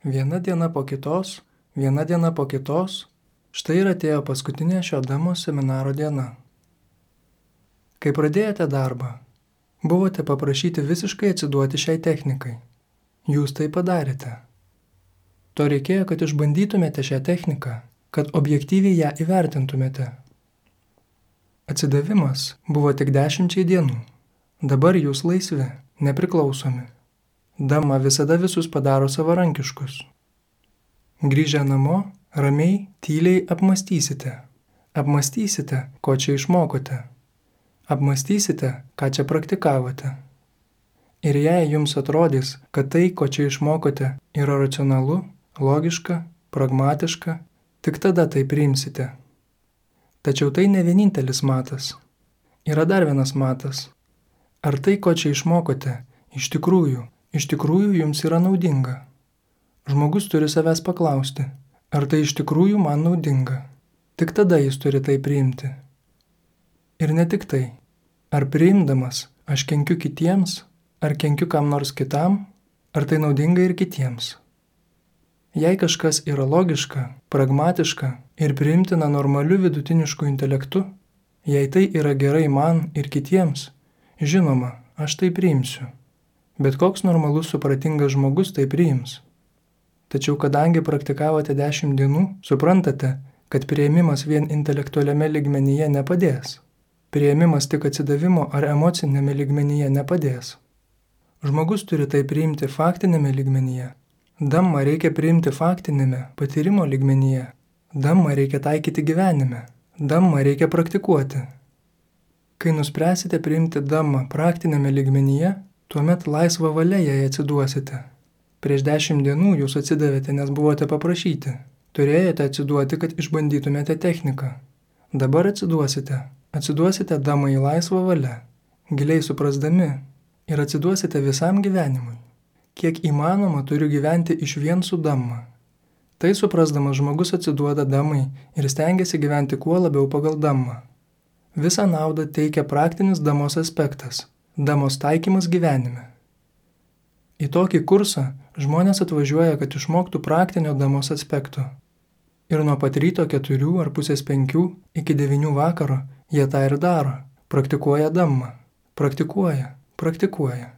Viena diena po kitos, viena diena po kitos, štai ir atėjo paskutinė šio demos seminaro diena. Kai pradėjote darbą, buvote paprašyti visiškai atsiduoti šiai technikai. Jūs tai padarėte. To reikėjo, kad išbandytumėte šią techniką, kad objektyviai ją įvertintumėte. Atsidavimas buvo tik 10 dienų. Dabar jūs laisvi, nepriklausomi. Dhamma visada visus padaro savarankiškus. Grįžę namo, ramiai, tyliai apmąstysite. Apmąstysite, ko čia išmokote. Apmąstysite, ką čia praktikavote. Ir jei jums atrodys, kad tai, ko čia išmokote, yra racionalu, logiška, pragmatiška, tik tada tai priimsite. Tačiau tai ne vienintelis matas. Yra dar vienas matas. Ar tai, ko čia išmokote, iš tikrųjų jums yra naudinga? Žmogus turi savęs paklausti, ar tai iš tikrųjų man naudinga. Tik tada jis turi tai priimti. Ir ne tik tai. Ar priimdamas aš kenkiu kitiems, ar kenkiu kam nors kitam, ar tai naudinga ir kitiems. Jei kažkas yra logiška, pragmatiška ir priimtina normaliu vidutinišku intelektu, jei tai yra gerai man ir kitiems, žinoma, aš tai priimsiu. Bet koks normalus supratingas žmogus tai priims. Tačiau kadangi praktikavote 10 dienų, suprantate, kad priėmimas vien intelektualiame lygmenyje nepadės. Priėmimas tik atsidavimo ar emocinėme lygmenyje nepadės. Žmogus turi tai priimti faktinėme lygmenyje. Dhamma reikia priimti faktinėme, patyrimo lygmenyje. Dhamma reikia taikyti gyvenime. Dhamma reikia praktikuoti. Kai nuspręsite priimti Dhamma praktinėme lygmenyje, tuomet laisvą valią jai atsiduosite. Prieš 10 dienų jūs atsidavėte, nes buvote paprašyti. Turėjote atsiduoti, kad išbandytumėte techniką. Dabar atsiduosite. Atsiduosite Dhammai laisvą valią, giliai suprasdami, ir atsiduosite visam gyvenimui. Kiek įmanoma turiu gyventi išvien su Dhamma. Tai suprasdamas žmogus atsiduoda Dhammai ir stengiasi gyventi kuo labiau pagal Dhammą. Visą naudą teikia praktinis Dhammos aspektas – Dhammos taikymas gyvenime. Į tokį kursą žmonės atvažiuoja, kad išmoktų praktinio Dhammos aspekto. Ir nuo pat ryto 4 ar pusės 5 iki 9 vakaro jie tą ir daro, praktikuoja Dhammą, praktikuoja.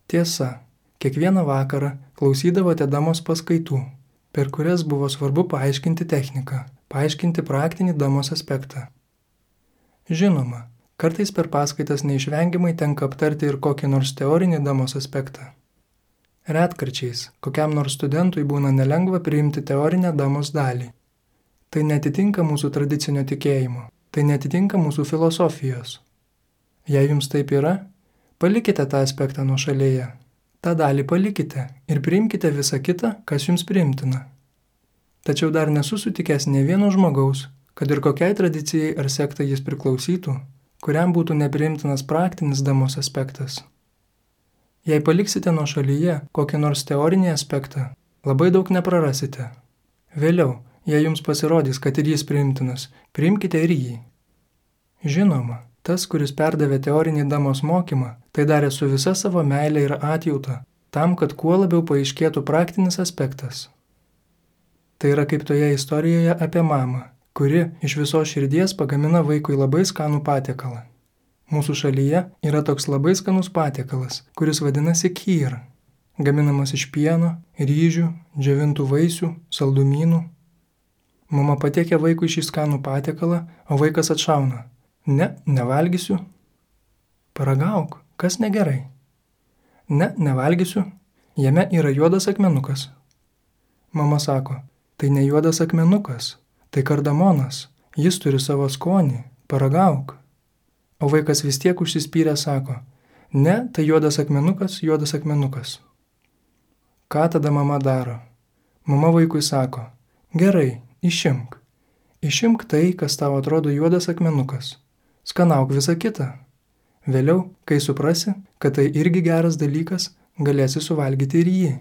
Tiesa, kiekvieną vakarą klausydavote Dhammos paskaitų, per kurias buvo svarbu paaiškinti techniką, paaiškinti praktinį Dhammos aspektą. Žinoma, kartais per paskaitas neišvengiamai tenka aptarti ir kokį nors teorinį Dhammos aspektą. Retkarčiais, kokiam nors studentui būna nelengva priimti teorinę Dhammos dalį. Tai netitinka mūsų tradicinio tikėjimo, tai netitinka mūsų filosofijos. Jei jums taip yra, palikite tą aspektą nuošalėje. tą dalį palikite ir priimkite visą kitą, kas jums priimtina. Tačiau dar nesu sutikęs ne vieno žmogaus, kad ir kokiai tradicijai ar sektai jis priklausytų, kuriam būtų nepriimtinas praktinis Dhamos aspektas. Jei paliksite nuošalyje kokį nors teorinį aspektą, labai daug neprarasite. Vėliau, jei jums pasirodys, kad ir jis priimtinas, priimkite ir jį. Žinoma, tas, kuris perdavė teorinį Dhamos mokymą, tai darė su visa savo meile ir atjauta, tam, kad kuo labiau paaiškėtų praktinis aspektas. Tai yra kaip toje istorijoje apie mamą, kuri iš visos širdies pagamina vaikui labai skanų patiekalą. Mūsų šalyje yra toks labai skanus patiekalas, kuris vadinasi khyr, gaminamas iš pieno, ryžių, džiovintų vaisių, saldumynų. Mama patiekia vaikui šį skanų patiekalą, o vaikas atšauna. Ne, nevalgysiu. Paragauk, kas negerai? Ne, nevalgysiu. Jame yra juodas akmenukas. Mama sako, tai ne juodas akmenukas, tai kardamonas, jis turi savo skonį, paragauk. O vaikas vis tiek užsispyrę sako, ne, tai juodas akmenukas. Ką tada mama daro? Mama vaikui sako, gerai, išimk. Išimk tai, kas tau atrodo juodas akmenukas. Skanauk visą kitą. Vėliau, kai suprasi, kad tai irgi geras dalykas, galėsi suvalgyti ir jį.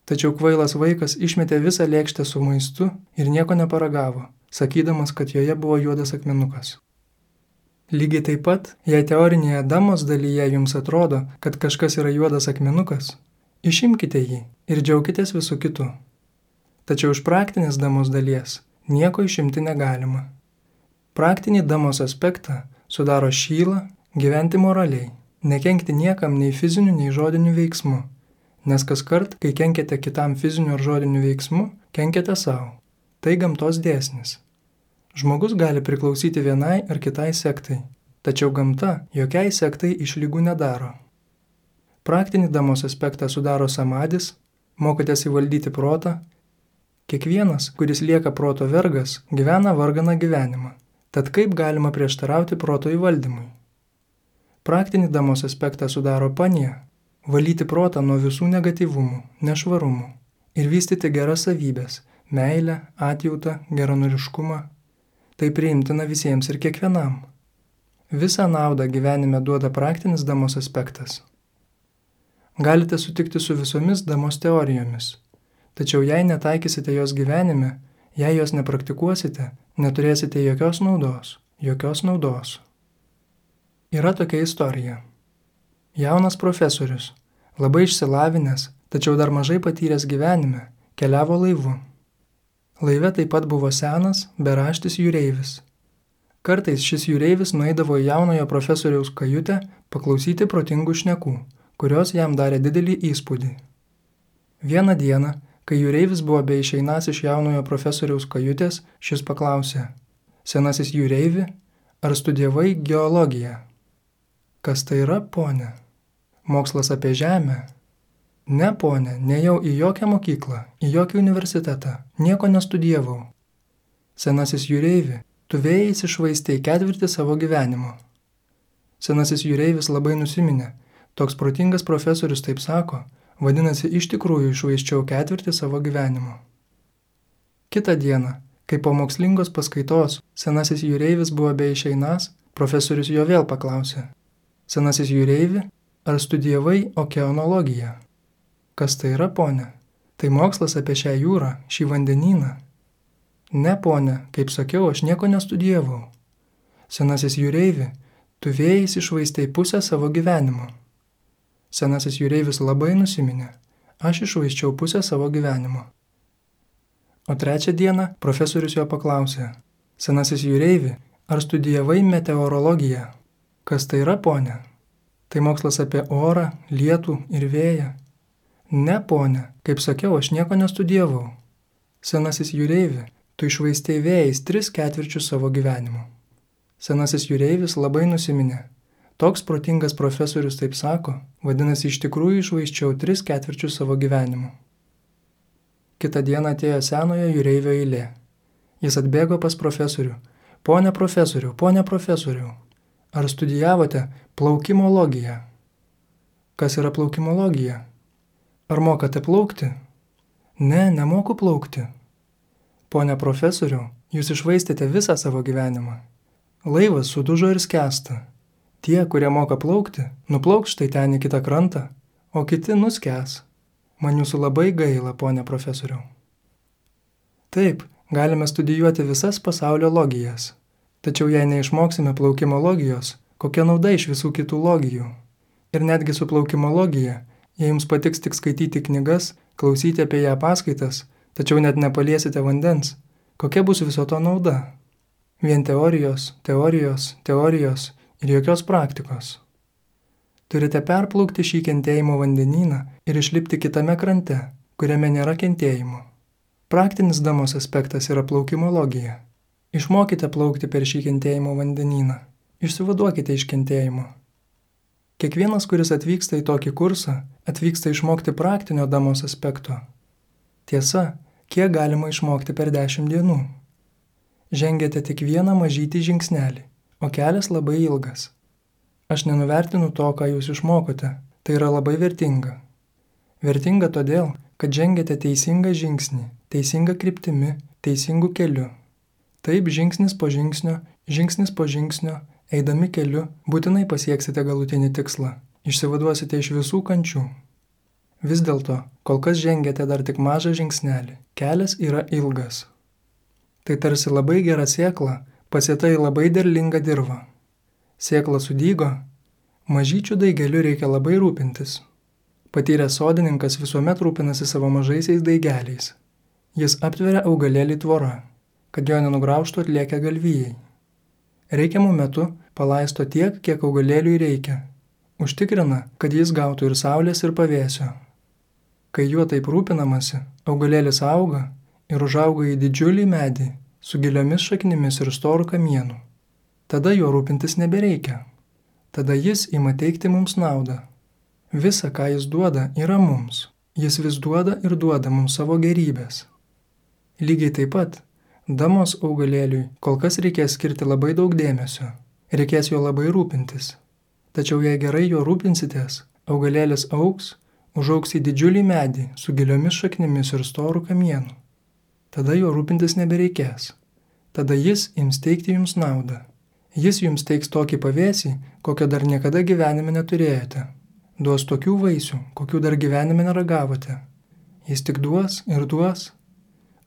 Tačiau kvailas vaikas išmetė visą lėkštę su maistu ir nieko neparagavo, sakydamas, kad joje buvo juodas akmenukas. Lygiai taip pat, jei teorinėje Dhamos dalyje jums atrodo, kad kažkas yra juodas akmenukas, Išimkite jį ir džiaukitės visų kitų. Tačiau iš praktinės damos dalies nieko išimti negalima. Praktinį damos aspektą sudaro šyla gyventi moraliai, nekenkti niekam nei fiziniu, nei žodiniu veiksmu, nes kaskart, kai kenkiate kitam fiziniu ar žodiniu veiksmu, kenkiate savo. Tai gamtos dėsnis. Žmogus gali priklausyti vienai ar kitai sektai, tačiau gamta jokiai sektai išlygų nedaro. Praktinį damos aspektą sudaro samadis, mokotės įvaldyti protą. Kiekvienas, kuris lieka proto vergas, gyvena varganą gyvenimą. Tad kaip galima prieštarauti proto įvaldymui? Praktinį damos aspektą sudaro panija, valyti protą nuo visų negatyvumų, nešvarumų ir vystyti geras savybės, meilę, atjautą, geranoriškumą. Tai priimtina visiems ir kiekvienam. Visą naudą gyvenime duoda praktinis damos aspektas. Galite sutikti su visomis damos teorijomis, tačiau jei netaikysite jos gyvenime, jei jos nepraktikuosite, neturėsite jokios naudos. Yra tokia istorija. Jaunas profesorius, labai išsilavinęs, tačiau dar mažai patyręs gyvenime, keliavo laivu. Laive taip pat buvo senas, beraštis jūreivis. Kartais šis jūreivis nueidavo į jaunojo profesoriaus kajutę paklausyti protingų šnekų, kurios jam darė didelį įspūdį. Vieną dieną, kai jūreivis buvo beišeinąs iš jaunojo profesoriaus kajutės, šis paklausė: Senasis jūreivi, ar studijavai geologiją? Kas tai yra, pone? Mokslas apie žemę? Ne, pone, nėjau į jokią mokyklą, į jokį universitetą, nieko nestudijavau. Senasis jūreivi, tu vėjais iššvaistei ketvirtį savo gyvenimo. Senasis jūreivis labai nusiminė. Toks protingas profesorius taip sako, vadinasi, iš tikrųjų iššvaisčiau ketvirtį savo gyvenimo. Kitą dieną, kai po mokslingos paskaitos senasis jūreivis buvo beišeinąs, profesorius jo vėl paklausė: Senasis jūreivi, ar studijavai okeanologiją? Kas tai yra, pone? Tai mokslas apie šią jūrą, šį vandenyną. Ne, pone, kaip sakiau, aš nieko nestudijavau. Senasis jūreivi, tu vėjais iššvaistei pusę savo gyvenimo. Senasis jūreivis labai nusiminė. Aš iššvaisčiau pusę savo gyvenimo. O trečią dieną profesorius jo paklausė: Senasis jūreivi, ar studijavai meteorologiją? Kas tai yra, pone? Tai mokslas apie orą, lietų ir vėją. Ne, pone, kaip sakiau, aš nieko nestudijavau. Senasis jūreivi, tu iššvaistei vėjais 3/4 savo gyvenimo. Senasis jūreivis labai nusiminė. Toks protingas profesorius taip sako, vadinasi, iš tikrųjų iššvaisčiau 3/4 savo gyvenimo. Kitą dieną atėjo senojo jūreivio eilė. Jis atbėgo pas profesorių. Pone profesoriau, ar studijavote plaukimologiją? Kas yra plaukimologija? Ar mokate plaukti? Ne, nemoku plaukti. Pone profesoriau, jūs iššvaistėte visą savo gyvenimą. Laivas sudužo ir skęsta. Tie, kurie moka plaukti, nuplauks štai ten į kitą krantą, o kiti nuskęs. Man jūsų labai gaila, pone profesoriau. Taip, galime studijuoti visas pasaulio logijas. Tačiau jei neišmoksime plaukimologijos, kokia nauda iš visų kitų logijų? Ir netgi su plaukimologija, jei jums patiks tik skaityti knygas, klausyti apie ją paskaitas, tačiau net nepaliesite vandens, kokia bus viso to nauda? Vien teorijos ir jokios praktikos. Turite perplaukti šį kentėjimo vandenyną ir išlipti kitame krante, kuriame nėra kentėjimo. Praktinis damos aspektas yra plaukimologija. Išmokite plaukti per šį kentėjimo vandenyną. Išsivaduokite iš kentėjimo. Kiekvienas, kuris atvyksta į tokį kursą, atvyksta išmokti praktinio damos aspekto. Tiesa, kiek galima išmokti per 10 dienų? Žengėte tik vieną mažytį žingsnelį, o kelias labai ilgas. Aš nenuvertinu to, ką jūs išmokote, tai yra labai vertinga. Vertinga todėl, kad žengėte teisingą žingsnį, teisingą kryptimi, teisingų keliu. Taip žingsnis po žingsnio, eidami keliu, būtinai pasieksite galutinį tikslą, išsivaduosite iš visų kančių. Vis dėlto, kol kas žengėte dar tik mažą žingsnelį, kelias yra ilgas. Tai tarsi labai gera sėkla, pasėta į labai derlingą dirvą. Sėkla sudygo, mažyčių daigeliu reikia labai rūpintis. Patyręs sodininkas visuomet rūpinasi savo mažaisiais daigeliais. Jis aptveria augalėlį tvora, kad jo nenugraužtų atlėkę galvijai. Reikiamų metu palaisto tiek, kiek augalėliui reikia. Užtikrina, kad jis gautų ir saulės, ir pavėsio. Kai juo taip rūpinamasi, augalėlis auga ir užauga į didžiulį medį su giliomis šaknimis ir storu kamienu. Tada juo rūpintis nebereikia. Tada jis ima teikti mums naudą. Visa, ką jis duoda, yra mums. Jis vis duoda ir duoda mums savo gerybės. Lygiai taip pat, damos augalėliui kol kas reikės skirti labai daug dėmesio. Reikės jo labai rūpintis. Tačiau jei gerai jo rūpinsitės, augalėlis augs, užaugs į didžiulį medį su giliomis šaknimis ir storu kamienu. Tada jo rūpintis nebereikės. Tada jis ims teikti jums naudą. Jis jums teiks tokį pavėsį, kokio dar niekada gyvenime neturėjote. Duos tokių vaisių, kokių dar gyvenime neragavote. Jis tik duos ir duos.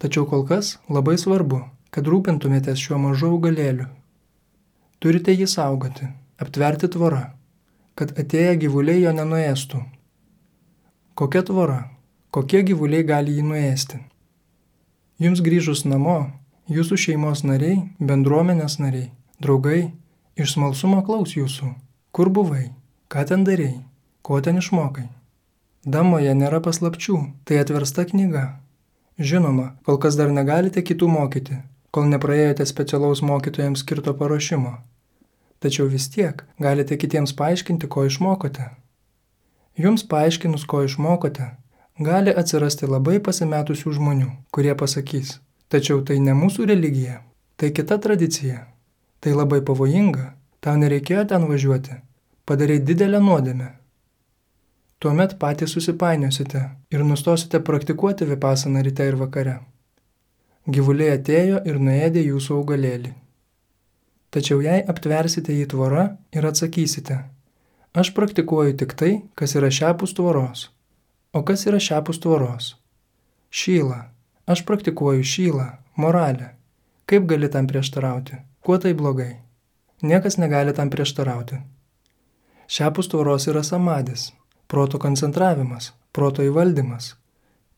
Tačiau kol kas labai svarbu, kad rūpintumėtės šiuo mažu augalėliu. Turite jį saugoti, aptverti tvorą, kad atėję gyvuliai jo nenuėstų. Kokia tvora? Kokie gyvuliai gali jį nuėsti? Jums grįžus namo, jūsų šeimos nariai, bendruomenės nariai, draugai, iš smalsumo klaus jūsų. Kur buvai? Ką ten darei? Ko ten išmokai? Damoje nėra paslapčių, tai atversta knyga. Žinoma, kol kas dar negalite kitų mokyti, kol nepraėjote specialaus mokytojams skirto paruošimo. Tačiau vis tiek galite kitiems paaiškinti, ko išmokote. Jums paaiškinus, ko išmokote, gali atsirasti labai pasimetusių žmonių, kurie pasakys, tačiau tai ne mūsų religija, tai kita tradicija, tai labai pavojinga, tau nereikėjo ten važiuoti, padarei didelę nuodėmę. Tuomet patys susipainiosite ir nustosite praktikuoti vipasaną ryte ir vakare. Gyvuliai atėjo ir nuėdė jūsų augalėlį. Tačiau jei aptversite jį tvora ir atsakysite, aš praktikuoju tik tai, kas yra šiapus tvoros. O kas yra šiapus tvoros? Šyla. Aš praktikuoju šylą, moralę. Kaip gali tam prieštarauti? Kuo tai blogai? Niekas negali tam prieštarauti. Šiapus tvoros yra samadis. Proto koncentravimas, proto įvaldymas.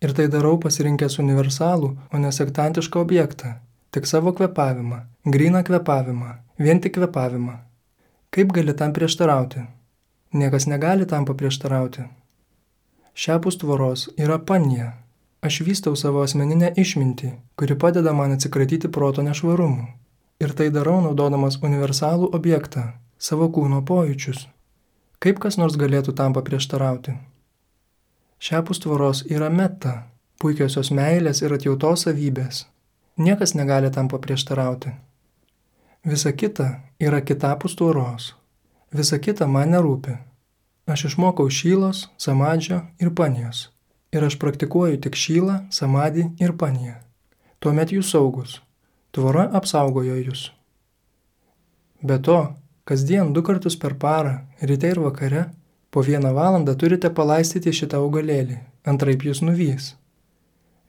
Ir tai darau pasirinkęs universalų, o ne sektantišką objektą, tik savo kvėpavimą, gryną kvėpavimą, vien tik kvėpavimą. Kaip gali tam prieštarauti? Niekas negali tam paprieštarauti. Šiapus tvoros yra panija. Aš vystau savo asmeninę išmintį, kuri padeda man atsikratyti proto nešvarumų. Ir tai darau naudodamas universalų objektą, savo kūno pojūčius. Kaip kas nors galėtų tam paprieštarauti? Šiapus tvoros yra meta, puikiosios meilės ir atjautos savybės. Niekas negali tam paprieštarauti. Visa kita yra kitapus tvoros. Visa kita man nerūpi. Aš išmokau šylos, samadžio ir panijos. Ir aš praktikuoju tik šylą, samadį ir paniją. Tuomet jūs saugus. Tvora apsaugojo jūs. Be to, kasdien 2 kartus per parą, ryte ir vakare, po 1 valandą turite palaistyti šitą augalėlį, antraip jūs nuvys.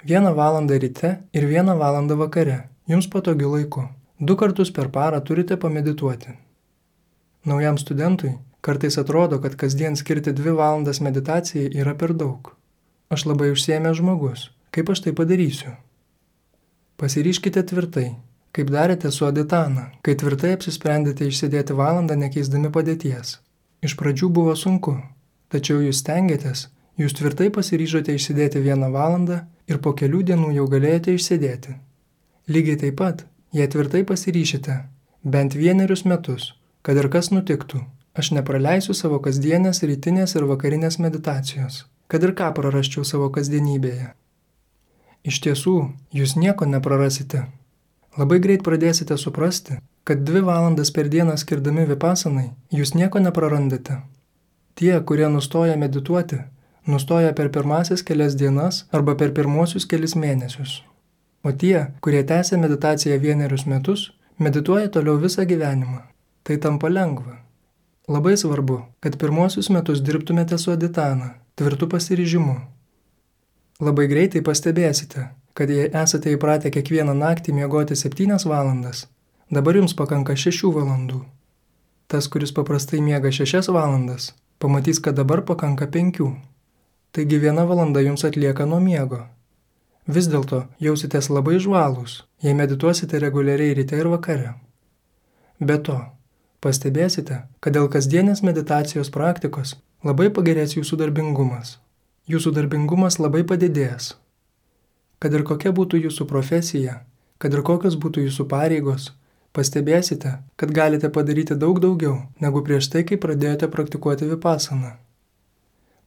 1 valandą ryte ir 1 valandą vakare, jums patogiu laiku. 2 kartus per parą turite pamedituoti. Naujam studentui kartais atrodo, kad kasdien skirti 2 valandas meditacijai yra per daug. Aš labai užsiėmęs žmogus, kaip aš tai padarysiu? Pasiryškite tvirtai. Kaip darėte su Aditana, kai tvirtai apsisprendėte išsėdėti valandą nekeisdami padėties. Iš pradžių buvo sunku, tačiau jūs stengiatės, jūs tvirtai pasiryžote išsėdėti 1 valandą ir po kelių dienų jau galėjote išsėdėti. Lygiai taip pat, jei tvirtai pasiryšite, bent 1 metus, kad ir kas nutiktų, aš nepraleisiu savo kasdienės, rytinės ir vakarinės meditacijos, kad ir ką prarasčiau savo kasdienybėje. Iš tiesų, jūs nieko neprarasite. Labai greit pradėsite suprasti, kad 2 valandas per dieną skirdami vipasanai, jūs nieko neprarandate. Tie, kurie nustoja medituoti, nustoja per pirmasis kelias dienas arba per pirmuosius kelis mėnesius. O tie, kurie tęsia meditaciją 1 metus, medituoja toliau visą gyvenimą. Tai tampa lengva. Labai svarbu, kad pirmuosius metus dirbtumėte su Aditana, tvirtu pasiryžimu. Labai greitai pastebėsite, kad jei esate įpratę kiekvieną naktį miegoti 7 valandas, dabar jums pakanka 6 valandų. Tas, kuris paprastai miega 6 valandas, pamatys, kad dabar pakanka 5. taigi 1 valanda jums atlieka nuo miego. Vis dėlto jausitės labai žvalūs, jei medituosite reguliariai ryte ir vakare. Be to, pastebėsite, kad dėl kasdienės meditacijos praktikos labai pagerės jūsų darbingumas. Jūsų darbingumas labai padidės. Kad ir kokia būtų jūsų profesija, kad ir kokios būtų jūsų pareigos, pastebėsite, kad galite padaryti daug daugiau, negu prieš tai, kai pradėjote praktikuoti vipasaną.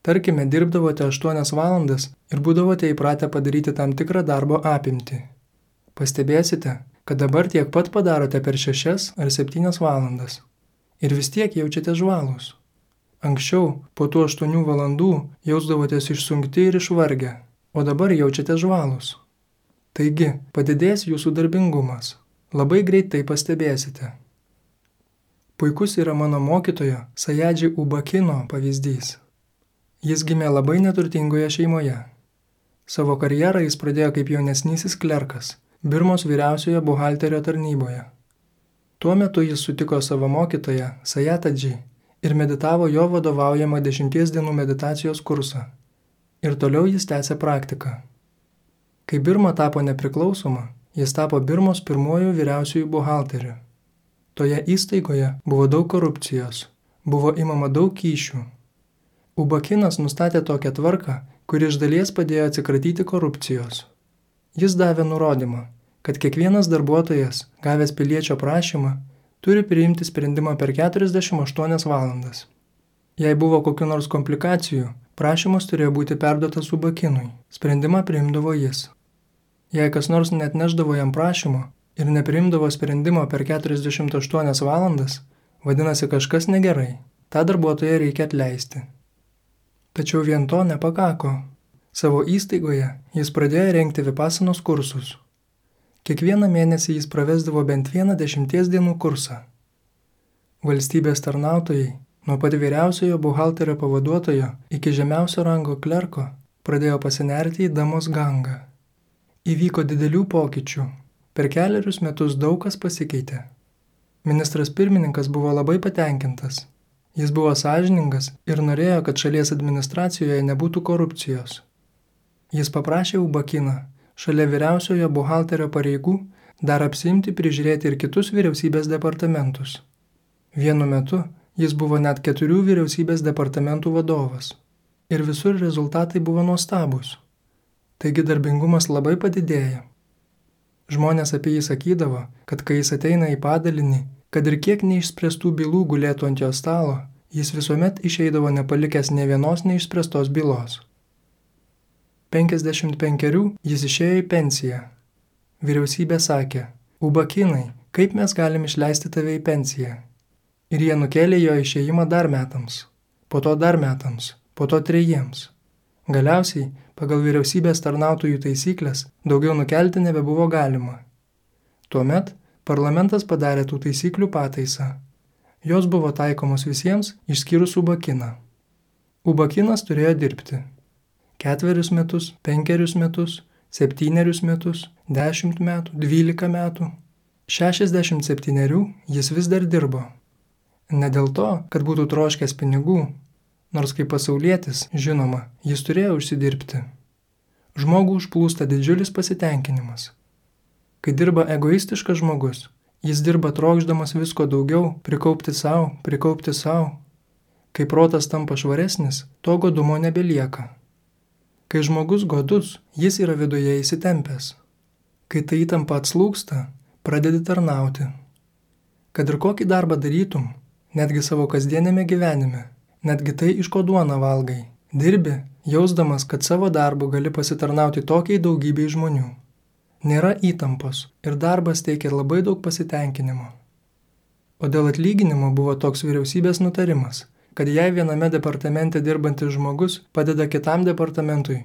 Tarkime, dirbdavote 8 valandas ir būdavote įpratę padaryti tam tikrą darbo apimtį. Pastebėsite, kad dabar tiek pat padarote per 6 ar 7 valandas. Ir vis tiek jaučiate žvalūs. Anksčiau, po tų 8 valandų, jausdavotės išsunkti ir išvargę, o dabar jaučiate žvalūs. Taigi, padidės jūsų darbingumas. Labai greitai pastebėsite. Puikus yra mano mokytojo Sayadži Ubakino pavyzdys. Jis gimė labai neturtingoje šeimoje. Savo karjerą jis pradėjo kaip jaunesnysis klerkas Birmos vyriausiojo buhalterio tarnyboje. Tuo metu jis sutiko savo mokytoją Sayatadžį ir meditavo jo vadovaujamą 10 dienų meditacijos kursą. Ir toliau jis tęsė praktiką. Kai Birma tapo nepriklausoma, jis tapo Birmos pirmuoju vyriausiųjų buhalteriu. Toje įstaigoje buvo daug korupcijos, buvo imama daug kyšių. Ubakinas nustatė tokią tvarką, kuri iš dalies padėjo atsikratyti korupcijos. Jis davė nurodymą, kad kiekvienas darbuotojas, gavęs piliečio prašymą, turi priimti sprendimą per 48 valandas. Jei buvo kokių nors komplikacijų, prašymas turėjo būti perduotas Ubakinui, sprendimą priimdavo jis. Jei kas nors net neždavo jam prašymo ir nepriimdavo sprendimo per 48 valandas, vadinasi kažkas negerai, tą darbuotoją reikia atleisti. Tačiau vien to nepakako. Savo įstaigoje jis pradėjo rengti vipasanos kursus. Kiekvieną mėnesį jis pravesdavo bent vieną 10 dienų kursą. Valstybės tarnautojai, nuo pat vyriausiojo buhalterio pavaduotojo iki žemiausio rango klerko, pradėjo pasinerti į Damos gangą. Įvyko didelių pokyčių. Per 4 metus daug kas pasikeitė. Ministras pirmininkas buvo labai patenkintas. Jis buvo sąžiningas ir norėjo, kad šalies administracijoje nebūtų korupcijos. Jis paprašė Ubakiną, šalia vyriausiojo buhalterio pareigų, dar apsiimti prižiūrėti ir kitus vyriausybės departamentus. Vienu metu jis buvo net 4 vyriausybės departamentų vadovas. Ir visur rezultatai buvo nuostabūs. Taigi darbingumas labai padidėjo. Žmonės apie jį sakydavo, kad kai jis ateina į padalinį, kad ir kiek neišspręstų bylų gulėtų ant jo stalo, jis visuomet išeidavo nepalikęs nė vienos neišspręstos bylos. 55 jis išėjo į pensiją. Vyriausybė sakė, Ubakinai, kaip mes galim išleisti tave į pensiją? Ir jie nukėlė jo išėjimą dar metams, po to dar metams, po to 3. Galiausiai, pagal vyriausybės tarnautojų taisyklės, daugiau nukelti nebebuvo galima. Tuomet parlamentas padarė tų taisyklių pataisą. Jos buvo taikomos visiems, išskyrus Ubakiną. Ubakinas turėjo dirbti 4 metus, 5 metus, 7 metus, 10 metų, 12 metų. 67 jis vis dar dirbo. Ne dėl to, kad būtų troškęs pinigų, nors kaip pasaulietis, žinoma, jis turėjo užsidirbti. Žmogų užplūsta didžiulis pasitenkinimas. Kai dirba egoistiškas žmogus, jis dirba trokšdamas visko daugiau, prikaupti savo. Kai protas tampa švaresnis, to godumo nebelieka. Kai žmogus godus, jis yra viduje įsitempęs. Kai ta įtampa atslūgsta, pradedi tarnauti. Kad ir kokį darbą darytum, netgi savo kasdienėme gyvenime, netgi tai, iš ko duoną valgai, dirbi, jausdamas, kad savo darbu gali pasitarnauti tokiai daugybei žmonių. Nėra įtampos ir darbas teikia labai daug pasitenkinimo. O dėl atlyginimo buvo toks vyriausybės nutarimas, kad jei viename departamente dirbantis žmogus padeda kitam departamentui,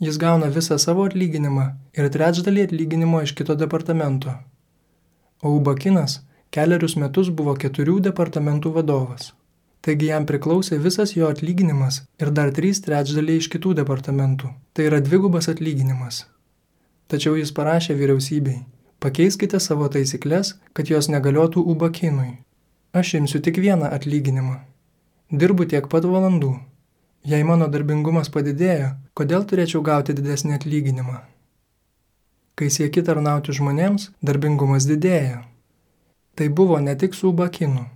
jis gauna visą savo atlyginimą ir 3/4 atlyginimo iš kito departamento. O Ubakinas 4 metus buvo 4 departamentų vadovas. Taigi jam priklausė visas jo atlyginimas ir dar 3/3 iš kitų departamentų. Tai yra 2 atlyginimas. Tačiau jis parašė vyriausybei, pakeiskite savo taisyklės, kad jos negaliotų Ubakinui. Aš imsiu tik 1 atlyginimą. Dirbu tiek pat valandų. Jei mano darbingumas padidėjo, kodėl turėčiau gauti didesnį atlyginimą? Kai sieki tarnauti žmonėms, darbingumas didėja. Tai buvo ne tik su Ubakinu.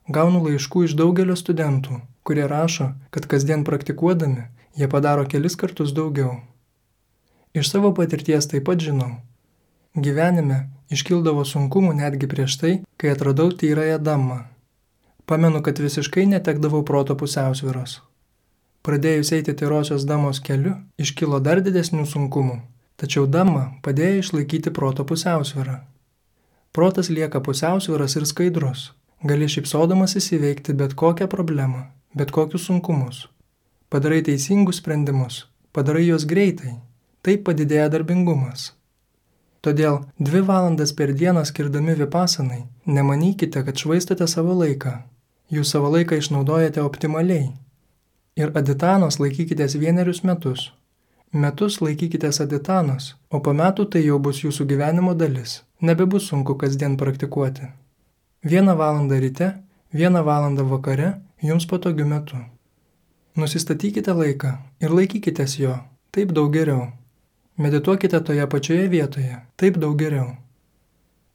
Gaunu laiškų iš daugelio studentų, kurie rašo, kad kasdien praktikuodami jie padaro kelis kartus daugiau. Iš savo patirties taip pat žinau. Gyvenime iškildavo sunkumų netgi prieš tai, kai atradau tyrąją Dhammą. Pamenu, kad visiškai netekdavau proto pusiausvyros. Pradėjus eiti tyrosios Dhammos keliu, iškilo dar didesnių sunkumų, tačiau Dhamma padėjo išlaikyti proto pusiausvyrą. Protas lieka pusiausvyras ir skaidrus. Gali šypsodamas įveikti bet kokią problemą, bet kokius sunkumus. Padarai teisingus sprendimus, padarai juos greitai, taip padidėja darbingumas. Todėl 2 valandas per dieną skirdami vipasanai, nemanykite, kad švaistote savo laiką. Jūs savo laiką išnaudojate optimaliai. Ir aditanos laikykitės 1 metus. Metus laikykitės aditanos, o po metų tai jau bus jūsų gyvenimo dalis. Nebebus sunku kasdien praktikuoti. 1 valandą ryte, 1 valandą vakare, jums patogiu metu. Nusistatykite laiką ir laikykitės jo, taip daug geriau. Medituokite toje pačioje vietoje, taip daug geriau.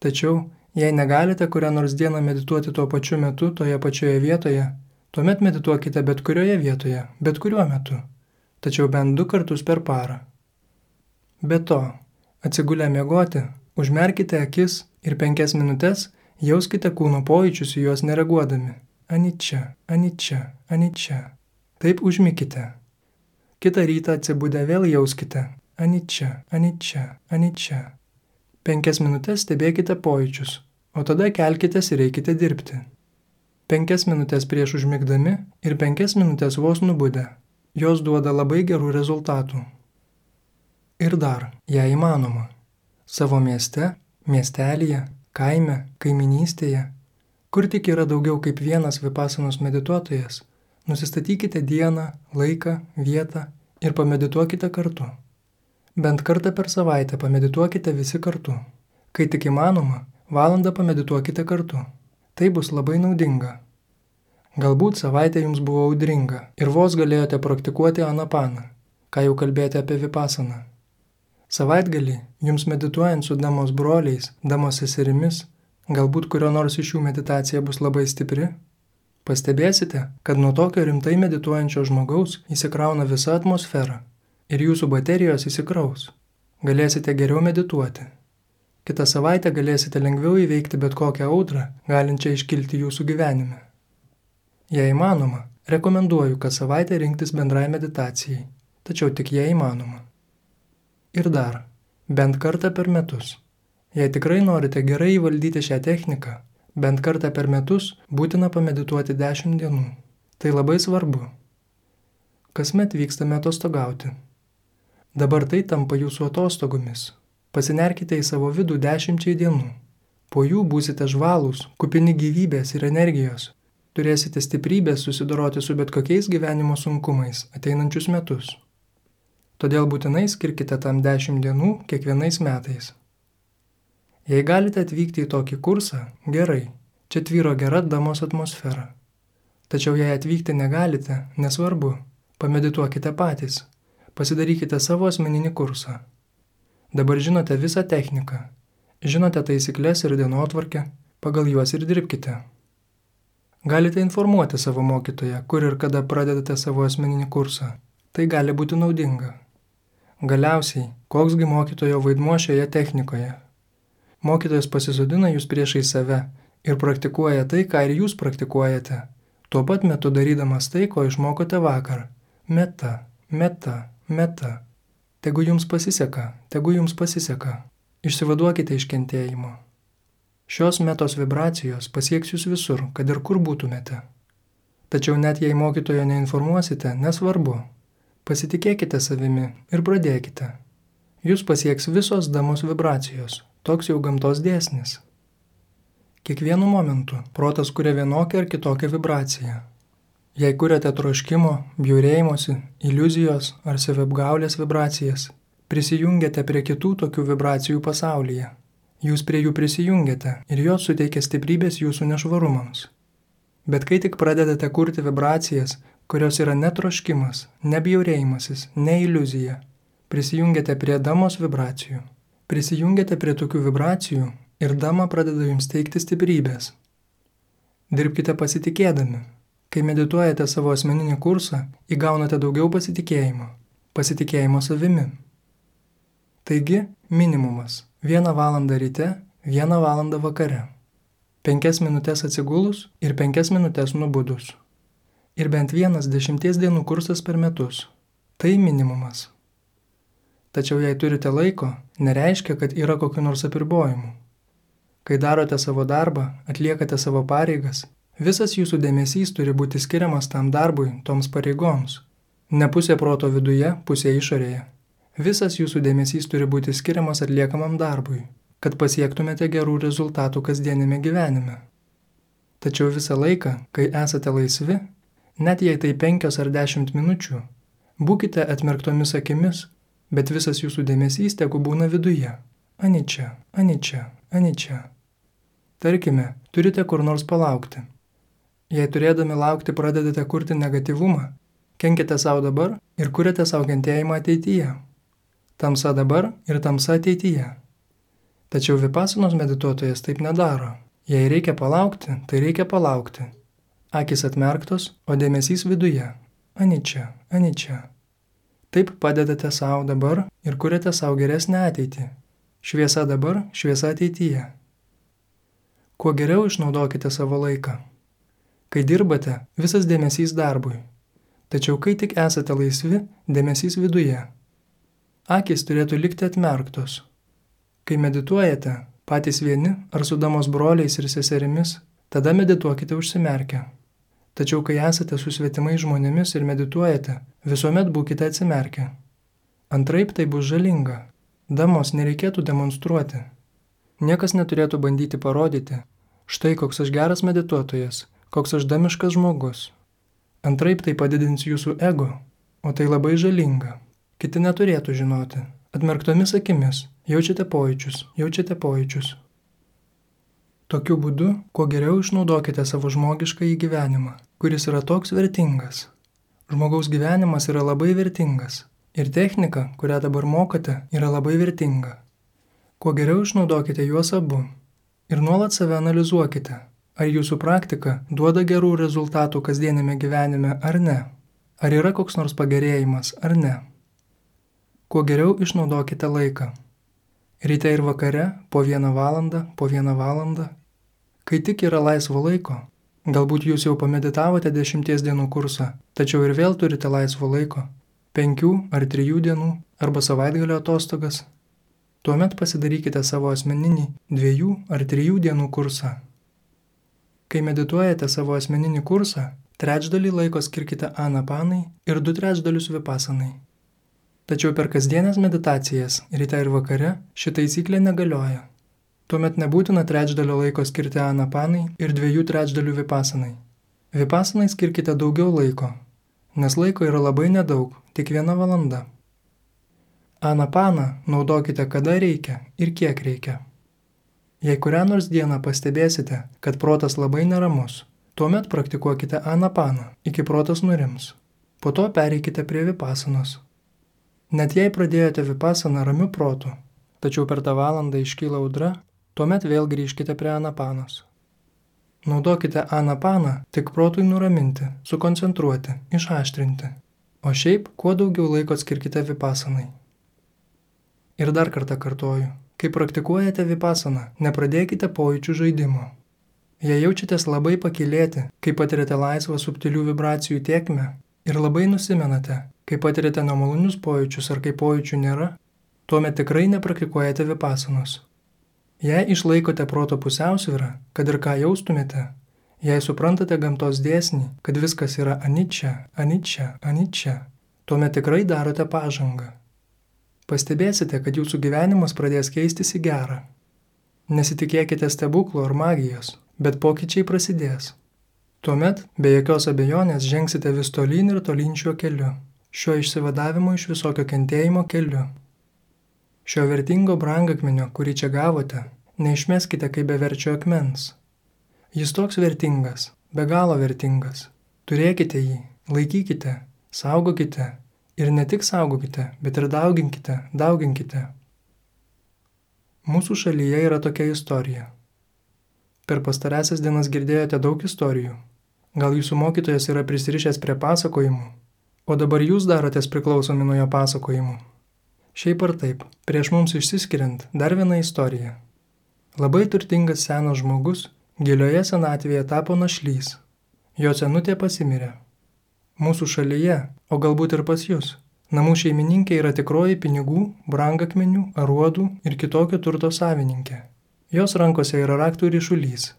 Tačiau, jei negalite kurią nors dieną medituoti tuo pačiu metu toje pačioje vietoje, tuomet medituokite bet kurioje vietoje, bet kuriuo metu, tačiau bent 2 kartus per parą. Be to, atsigulę miegoti, užmerkite akis ir 5 minutes jauskite kūno pojūčius į juos nereaguodami. Anicca, anicca, anicca. Taip užmykite. Kitą rytą atsibudę vėl jauskite. Anicca, anicca, anicca. 5 minutes stebėkite pojūčius, o tada kelkitės ir eikite dirbti. 5 minutes prieš užmigdami ir 5 minutes vos nubudę. Jos duoda labai gerų rezultatų. Ir dar, jei įmanoma, savo mieste, miestelyje, kaime, kaiminystėje, kur tik yra daugiau kaip vienas vipasanos medituotojas, nusistatykite dieną, laiką, vietą ir pamedituokite kartu. Bent kartą per savaitę pamedituokite visi kartu. Kai tik įmanoma, valandą pamedituokite kartu. Tai bus labai naudinga. Galbūt savaitė jums buvo audringa ir vos galėjote praktikuoti anapaną, ką jau kalbėjote apie vipasaną. Savaitgalį, jums medituojant su Dhammos broliais, Dhammos seserimis, galbūt kurio nors iš jų meditacija bus labai stipri, pastebėsite, kad nuo tokio rimtai medituojančio žmogaus įsikrauna visa atmosfera ir jūsų baterijos įsikraus. Galėsite geriau medituoti. Kitą savaitę galėsite lengviau įveikti bet kokią audrą, galinčią iškilti jūsų gyvenime. Jei įmanoma, rekomenduoju kas savaitę rinktis bendrai meditacijai, tačiau tik jei įmanoma. Ir dar, bent kartą per metus. Jei tikrai norite gerai įvaldyti šią techniką, bent kartą per metus būtina pamedituoti 10 dienų. Tai labai svarbu. Kasmet vykstame atostogauti. Dabar tai tampa jūsų atostogomis. Pasinerkite į savo vidų 10 dienų. Po jų būsite žvalūs, kupini gyvybės ir energijos. Turėsite stiprybės susidoroti su bet kokiais gyvenimo sunkumais ateinančius metus. Todėl būtinai skirkite tam 10 dienų kiekvienais metais. Jei galite atvykti į tokį kursą, gerai, čia tvyro gera Dhammos atmosfera. Tačiau jei atvykti negalite, nesvarbu, pamedituokite patys, pasidarykite savo asmeninį kursą. Dabar žinote visą techniką, žinote taisyklės ir dienotvarkę, pagal juos ir dirbkite. Galite informuoti savo mokytoją, kur ir kada pradedate savo asmeninį kursą. Tai gali būti naudinga. Galiausiai, koksgi mokytojo vaidmuo šioje technikoje? Mokytojas pasisodina jūs priešai save ir praktikuoja tai, ką ir jūs praktikuojate, tuo pat metu darydamas tai, ko išmokote vakar. Meta, meta, meta. Tegu jums pasiseka, tegu jums pasiseka. Išsivaduokite iš kentėjimo. Šios metos vibracijos pasieks jūs visur, kad ir kur būtumėte. Tačiau net jei mokytojo neinformuosite, nesvarbu. Pasitikėkite savimi ir pradėkite. Jūs pasieks visos Dhammos vibracijos, toks jau gamtos dėsnis. Kiekvienu momentu protas kuria vienokią ar kitokią vibraciją. Jei kuriate troškimo, bjaurėjimosi, iliuzijos ar saviapgaulės vibracijas, prisijungiate prie kitų tokių vibracijų pasaulyje. Jūs prie jų prisijungiate ir jos suteikia stiprybės jūsų nešvarumams. Bet kai tik pradedate kurti vibracijas, kurios yra ne troškimas, ne bjaurėjimasis, ne iliuzija. Prisijungiate prie damos vibracijų. Prisijungiate prie tokių vibracijų ir dama pradeda jums teikti stiprybės. Dirbkite pasitikėdami. Kai medituojate savo asmeninį kursą, įgaunate daugiau pasitikėjimo. Pasitikėjimo savimi. Taigi, minimumas. 1 valandą ryte, 1 valandą vakare. 5 minutės atsigulus ir 5 minutės nubudus. Ir bent 1 10 dienų kursas per metus. Tai minimumas. Tačiau jei turite laiko, nereiškia, kad yra kokių nors apribojimų. Kai darote savo darbą, atliekate savo pareigas, visas jūsų dėmesys turi būti skiriamas tam darbui, toms pareigoms. Ne pusė proto viduje, pusė išorėje. Visas jūsų dėmesys turi būti skiriamas atliekamam darbui, kad pasiektumėte gerų rezultatų kasdienėme gyvenime. Tačiau visą laiką, kai esate laisvi, net jei tai 5 ar 10 minučių, būkite atmerktomis akimis, bet visas jūsų dėmesys tegu būna viduje. Aničia, aničia, aničia. Tarkime, turite kur nors palaukti. Jei turėdami laukti pradedate kurti negatyvumą, kenkite savo dabar ir kuriate savo kentėjimą ateityje. Tamsa dabar ir tamsa ateityje. Tačiau vipasanos medituotojas taip nedaro. Jei reikia palaukti, tai reikia palaukti. Akis atmerktos, o dėmesys viduje. Aničia, aničia. Taip padedate savo dabar ir kuriate savo geresnę ateitį. Šviesa dabar, šviesa ateityje. Kuo geriau išnaudokite savo laiką. Kai dirbate, visas dėmesys darbui. Tačiau kai tik esate laisvi, dėmesys viduje. Akys turėtų likti atmerktos. Kai medituojate, patys vieni ar su damos broliais ir seserimis, tada medituokite užsimerkę. Tačiau kai esate su svetimais žmonėmis ir medituojate, visuomet būkite atsimerkę. Antraip tai bus žalinga. Damos nereikėtų demonstruoti. Niekas neturėtų bandyti parodyti, štai koks aš geras medituotojas, koks aš damiškas žmogus. Antraip tai padidins jūsų ego, o tai labai žalinga. Kiti neturėtų žinoti. Atmerktomis akimis jaučiate pojūčius. Tokiu būdu, kuo geriau išnaudokite savo žmogiškąjį gyvenimą, kuris yra toks vertingas. Žmogaus gyvenimas yra labai vertingas ir technika, kurią dabar mokate, yra labai vertinga. Kuo geriau išnaudokite juos abu ir nuolat save analizuokite, ar jūsų praktika duoda gerų rezultatų kasdienėme gyvenime ar ne, ar yra koks nors pagerėjimas ar ne. Kuo geriau išnaudokite laiką. Ryte ir vakare po 1 valandą. Kai tik yra laisvo laiko, galbūt jūs jau pameditavote 10 dienų kursą, tačiau ir vėl turite laisvo laiko, 5 ar 3 dienų arba savaitgalio atostogas, tuomet pasidarykite savo asmeninį 2 ar 3 dienų kursą. Kai medituojate savo asmeninį kursą, 1/3 laiko skirkite anapanai ir 2/3 vipasanai. Tačiau per kasdienės meditacijas ryte ir vakare ši taisyklė negalioja. Tuomet nebūtina 1/3 laiko skirti anapanai ir 2/3 vipasanai. Vipasanai skirkite daugiau laiko, nes laiko yra labai nedaug, tik 1 valanda. Anapaną naudokite kada reikia ir kiek reikia. Jei kurią nors dieną pastebėsite, kad protas labai neramus, tuomet praktikuokite anapaną, iki protas nurims. Po to pereikite prie vipasanos. Net jei pradėjote vipasaną ramiu protu, tačiau per tą valandą iškyla audra, tuomet vėl grįžkite prie anapanos. Naudokite anapaną tik protui nuraminti, sukoncentruoti, išaštrinti, o šiaip kuo daugiau laiko skirkite vipasanai. Ir dar kartą kartoju, kai praktikuojate vipasaną, nepradėkite pojūčių žaidimo. Jei jaučiatės labai pakylėti, kai patiriate laisvą subtilių vibracijų tėkmę ir labai nusimenate, kai patiriate nemalonius pojūčius ar kai pojūčių nėra, tuomet tikrai nepraktikuojate vipasanos. Jei išlaikote proto pusiausvyrą, kad ir ką jaustumėte, jei suprantate gamtos dėsnį, kad viskas yra aničia, tuomet tikrai darote pažangą. Pastebėsite, kad jūsų gyvenimas pradės keistis į gerą. Nesitikėkite stebuklų ar magijos, bet pokyčiai prasidės. Tuomet, be jokios abejonės, žengsite vis tolyn ir tolyn šiuo keliu, šiuo išsivadavimo iš visokio kentėjimo keliu. Šio vertingo brangakmenio, kurį čia gavote, neišmeskite kaip beverčio akmens. Jis toks vertingas, be galo vertingas. Turėkite jį, Laikykite, saugokite ir ne tik saugokite, bet ir dauginkite. Mūsų šalyje yra tokia istorija. Per pastarąsias dienas girdėjote daug istorijų. Gal jūsų mokytojas yra prisirišęs prie pasakojimų, o dabar jūs darotės priklausomi nuo jo pasakojimų. Šiaip ar taip, prieš mums išsiskiriant dar viena istorija. Labai turtingas senas žmogus gilioje senatvėje tapo našlys. Jo senutė pasimirė. Mūsų šalyje, o galbūt ir pas jus, namų šeimininkė yra tikroji pinigų, brangakmenių, aruodų ir kitokio turto savininkė. Jos rankose yra raktų ryšulys.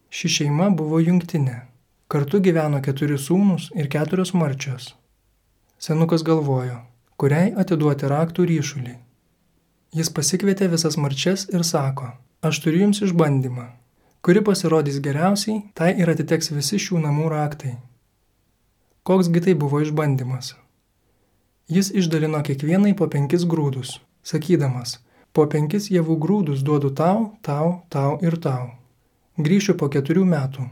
Ši šeima buvo jungtinė. Kartu gyveno 4 sūnūs ir 4 marčios. Senukas galvojo, kuriai atiduoti raktų ryšulį. Jis pasikvietė visas marčias ir sako, aš turiu jums išbandymą. Kuri pasirodys geriausiai, tai ir atiteks visi šių namų raktai. Koksgi tai buvo išbandymas? Jis išdalino kiekvienai po 5 grūdus, sakydamas, po 5 javų grūdus duodu tau ir tau. Grįšiu po 4 metų.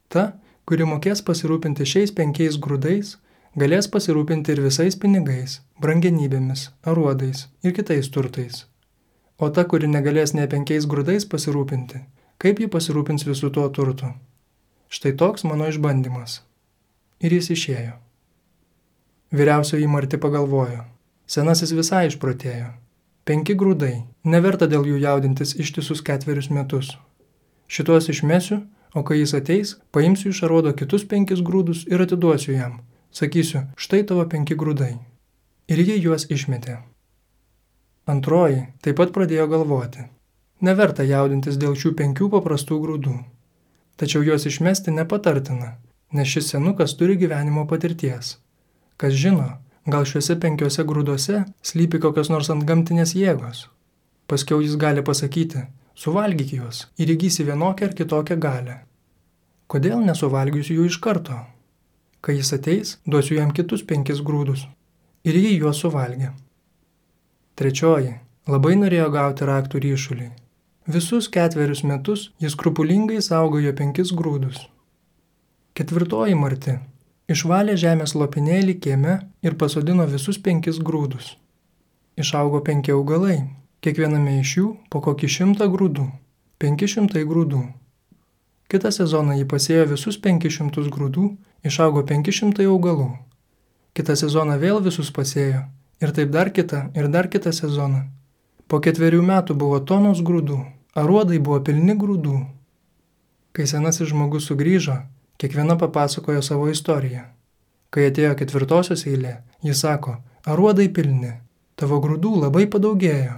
Ta, kuri mokės pasirūpinti šiais 5 grūdais, galės pasirūpinti ir visais pinigais, brangenybėmis, aruodais ir kitais turtais. O ta, kuri negalės ne 5 grūdais pasirūpinti, kaip ji pasirūpins visų tuo turtu? Štai toks mano išbandymas. Ir jis išėjo. Vyriausioji Marti pagalvojo. Senasis visai išprotėjo. 5 grūdai, neverta dėl jų jaudintis ištisus 4 metus. Šituos išmesiu, o kai jis ateis, paimsiu iš aruodo kitus 5 grūdus ir atiduosiu jam. Sakysiu, štai tavo 5 grūdai. Ir ji juos išmetė. Antroji taip pat pradėjo galvoti. Neverta jaudintis dėl šių 5 paprastų grūdų. Tačiau juos išmesti nepatartina, nes šis senukas turi gyvenimo patirties. Kas žino, gal šiuose 5 grūduose slypi kokios nors antgamtinės jėgos. Paskiau jis gali pasakyti, suvalgyk juos ir įgysi vienokią ar kitokią galią. Kodėl nesuvalgysiu jų iš karto? Kai jis ateis, duosiu jam kitus 5 grūdus. Ir jį juos suvalgė. Trečioji labai norėjo gauti raktų ryšulį. Visus 4 metus jis skrupulingai saugojo 5 grūdus. Ketvirtoji Marti išvalė žemės lopinėlį kieme ir pasodino visus 5 grūdus. Išaugo 5 augalai, kiekviename iš jų po kokį 100 grūdų, 500 grūdų. Kitą sezoną jį pasėjo visus 500 grūdų, išaugo 500 augalų. Kitą sezoną vėl visus pasėjo, ir taip dar kitą sezoną. Po 4 metų buvo tonos grūdų, aruodai buvo pilni grūdų. Kai senasis žmogus sugrįžo, kiekviena papasakojo savo istoriją. Kai atėjo 4 eilė, jis sako, aruodai pilni, tavo grūdų labai padaugėjo.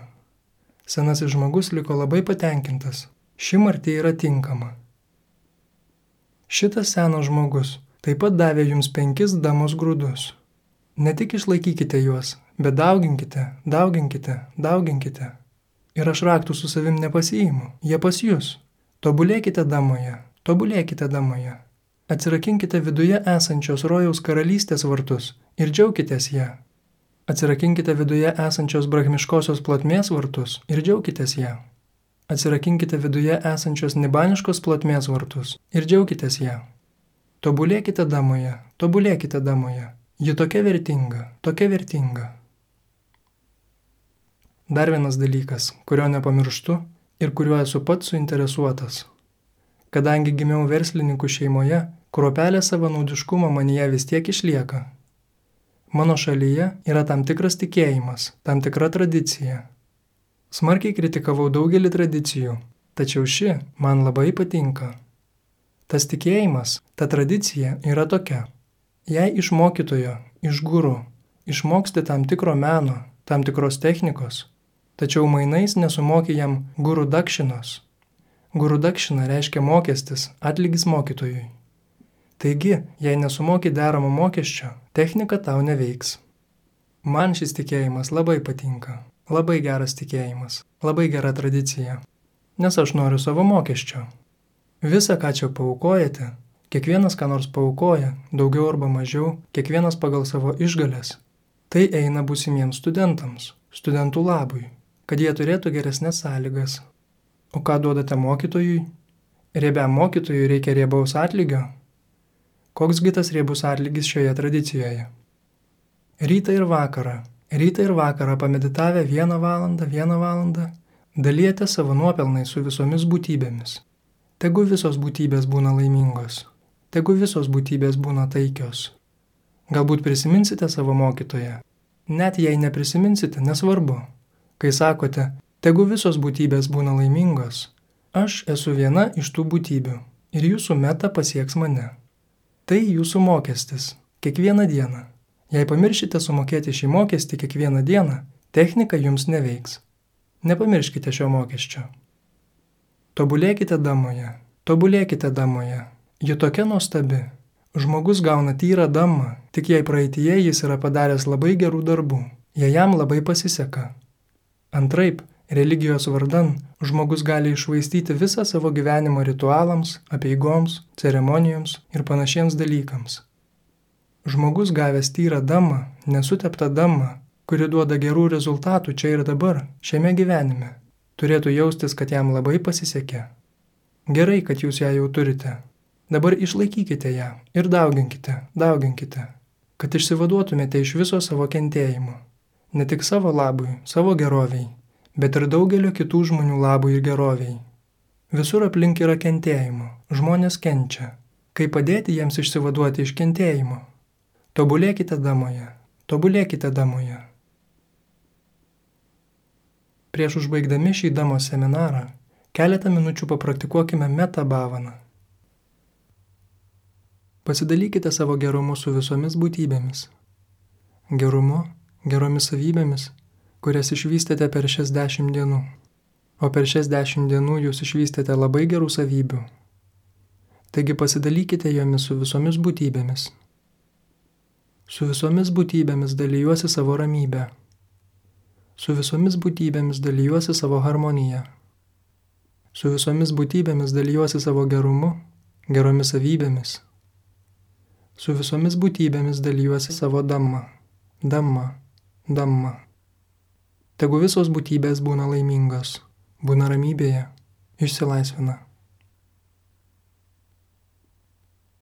Senasis žmogus liko labai patenkintas, ši Marti yra tinkama. Šitas senas žmogus taip pat davė jums 5 damos grūdus. Ne tik išlaikykite juos, bet dauginkite. Ir aš raktų su savim nepasiimu, jie pas jūs. Tobulėkite damoje. Atsirakinkite viduje esančios rojaus karalystės vartus ir džiaukitės ją. Atsirakinkite viduje esančios brahmiškosios plotmės vartus ir džiaukitės ją. Atsirakinkite viduje esančios nibaniškos plotmės vartus ir džiaukitės ją. Tobulėkite damoje. Ji tokia vertinga. Dar vienas dalykas, kurio nepamirštu ir kuriuo esu pats suinteresuotas. Kadangi gimiau verslininkų šeimoje, kruopelė savanaudiškumo manyje vis tiek išlieka. Mano šalyje yra tam tikras tikėjimas, tam tikra tradicija. Smarkiai kritikavau daugelį tradicijų, tačiau ši man labai patinka. Tas tikėjimas, ta tradicija yra tokia. Jei iš mokytojo, iš guru, išmoksti tam tikro meno, tam tikros technikos, tačiau mainais nesumoki jam guru dakšinos. Guru dakšina reiškia mokestis, atlygis mokytojui. Taigi, jei nesumoki deramo mokesčio, technika tau neveiks. Man šis tikėjimas labai patinka, labai geras tikėjimas, labai gera tradicija, nes aš noriu savo mokesčio. Visa, ką čia paaukojate, kiekvienas ką nors paaukoja, daugiau arba mažiau, kiekvienas pagal savo išgales. Tai eina būsimiems studentams, studentų labui, kad jie turėtų geresnes sąlygas. O ką duodate mokytojui? Riebiam mokytojui reikia riebaus atlygio. Koksgi tas riebus atlygis šioje tradicijoje? Rytą ir vakarą pameditavę 1 valandą, dalijate savo nuopelnai su visomis būtybėmis. Tegu visos būtybės būna laimingos, tegu visos būtybės būna taikios. Galbūt prisiminsite savo mokytoją. Net jei neprisiminsite, nesvarbu. Kai sakote, tegu visos būtybės būna laimingos, aš esu viena iš tų būtybių ir jūsų meta pasieks mane. Tai jūsų mokestis, kiekvieną dieną. Jei pamiršite sumokėti šį mokestį kiekvieną dieną, technika jums neveiks. Nepamirškite šio mokesčio. Tobulėkite damoje. Ji tokia nuostabi. Žmogus gauna tyrą damą, tik jei praeityje jis yra padaręs labai gerų darbų, jei jam labai pasiseka. Antraip, religijos vardan, žmogus gali iššvaistyti visą savo gyvenimą ritualams, apeigoms, ceremonijoms ir panašiems dalykams. Žmogus gavęs tyrą damą, nesuteptą damą, kuri duoda gerų rezultatų čia ir dabar, šiame gyvenime, turėtų jaustis, kad jam labai pasisekė. Gerai, kad jūs ją jau turite. Dabar išlaikykite ją ir dauginkite, kad išsivaduotumėte iš viso savo kentėjimo. Ne tik savo labui, savo geroviai, bet ir daugelio kitų žmonių labui ir geroviai. Visur aplink yra kentėjimo, žmonės kenčia. Kaip padėti jiems išsivaduoti iš kentėjimo? Tobulėkite damoje. Prieš užbaigdami šį damos seminarą, keletą minučių papraktikuokime meta bhavaną. Pasidalykite savo gerumu su visomis būtybėmis. Gerumu, geromis savybėmis, kurias išvystėte per šias 10 dienų. O per šias 10 dienų jūs išvystėte labai gerų savybių. Taigi pasidalykite jomis su visomis būtybėmis. Su visomis būtybėmis dalyjuosi savo ramybę. Su visomis būtybėmis dalyjuosi savo harmoniją. Su visomis būtybėmis dalyjuosi savo gerumu, geromis savybėmis. Su visomis būtybėmis dalyjuosi savo damma. Tegu visos būtybės būna laimingos, būna ramybėje, išsilaisvina.